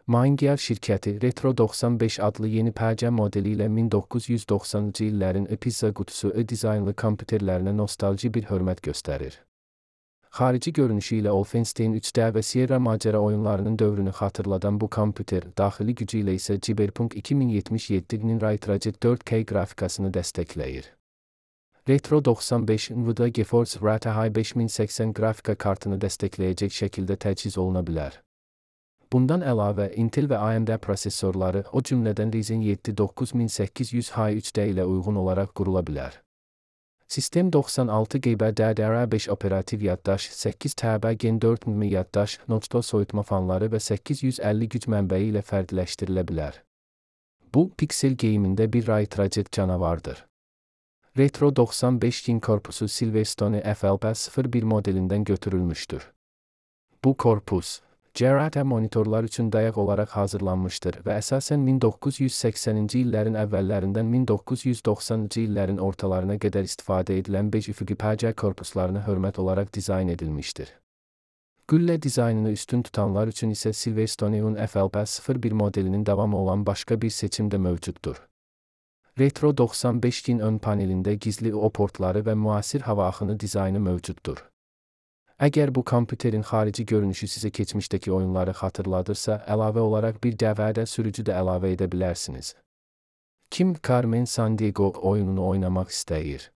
MindGear şirkəti Retro 95 adlı yeni pərcə modeli ilə 1990-cı illərin pizza qutusu dizaynlı kompüterlərinə nostalji bir hörmət göstərir. Xarici görünüşü ilə Wolfenstein 3D və Sierra macəra oyunlarının dövrünü xatırladan bu kompüter, daxili gücü ilə isə Cyberpunk 2077-nin Ray Traced 4K qrafikasını dəstəkləyir. Retro 95 NVIDIA GeForce RTX 5080 qrafika kartını dəstəkləyəcək şəkildə təchiz oluna bilər. Bundan əlavə, Intel və AMD prosesorları, o cümlədən Ryzen 7 9800H 3D ilə uyğun olaraq qurula bilər. Sistem 96 GB DDR5 operativ yaddaş, 8 TB Gen 4 nm yaddaş, notebook soyutma fanları və 850 güc mənbəyi ilə fərqləşdirilə bilər. Bu, Pixel Gaming-də bir Ray Traced canavardır. Retro 95-in korpusu Silverstone FLP01 modelindən götürülmüşdür. Bu korpus, CRT monitorlar üçün dayaq olaraq hazırlanmışdır və əsasən 1980-ci illərin əvvəllərindən 1990-cı illərin ortalarına qədər istifadə edilən bej üfüqi pərcə korpuslarına hörmət olaraq dizayn edilmişdir. Güllə dizaynını üstün tutanlar üçün isə Silverstone'un FLP01 modelinin davamı olan başqa bir seçim də mövcuddur. Retro 95-in ön panelində gizli O portları və müasir hava axını dizaynı mövcuddur. Əgər bu kompüterin xarici görünüşü sizə keçmişdəki oyunları xatırladırsa, əlavə olaraq bir dəvədə sürücü də əlavə edə bilərsiniz. Kim Carmen Sandiego oyununu oynamaq istəyir?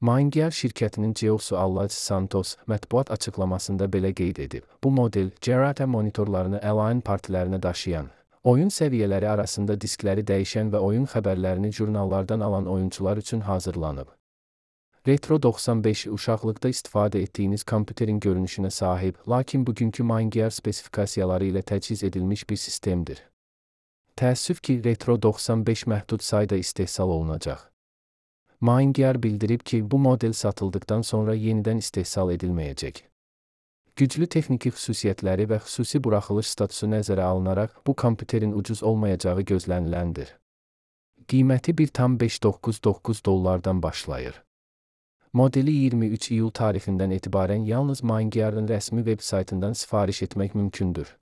MindGear şirkətinin CEO-su Alaj Santos mətbuat açıqlamasında belə qeyd edib. Bu model, CRT monitorlarını Align partilərinə daşıyan, oyun səviyyələri arasında diskləri dəyişən və oyun xəbərlərini jurnallardan alan oyuncular üçün hazırlanıb. Retro 95 uşaqlıqda istifadə etdiyiniz kompüterin görünüşünə sahib, lakin bugünkü MindGear spesifikasiyaları ilə təchiz edilmiş bir sistemdir. Təəssüf ki, Retro 95 məhdud sayda istehsal olunacaq. MindGear bildirib ki, bu model satıldıqdan sonra yenidən istehsal edilməyəcək. Güclü texniki xüsusiyyətləri və xüsusi buraxılış statusu nəzərə alınaraq, bu kompüterin ucuz olmayacağı gözləniləndir. Qiyməti $1,599 başlayır. Modeli 23 iyul tarixindən etibarən yalnız MindGear'ın rəsmi veb saytından sifariş etmək mümkündür.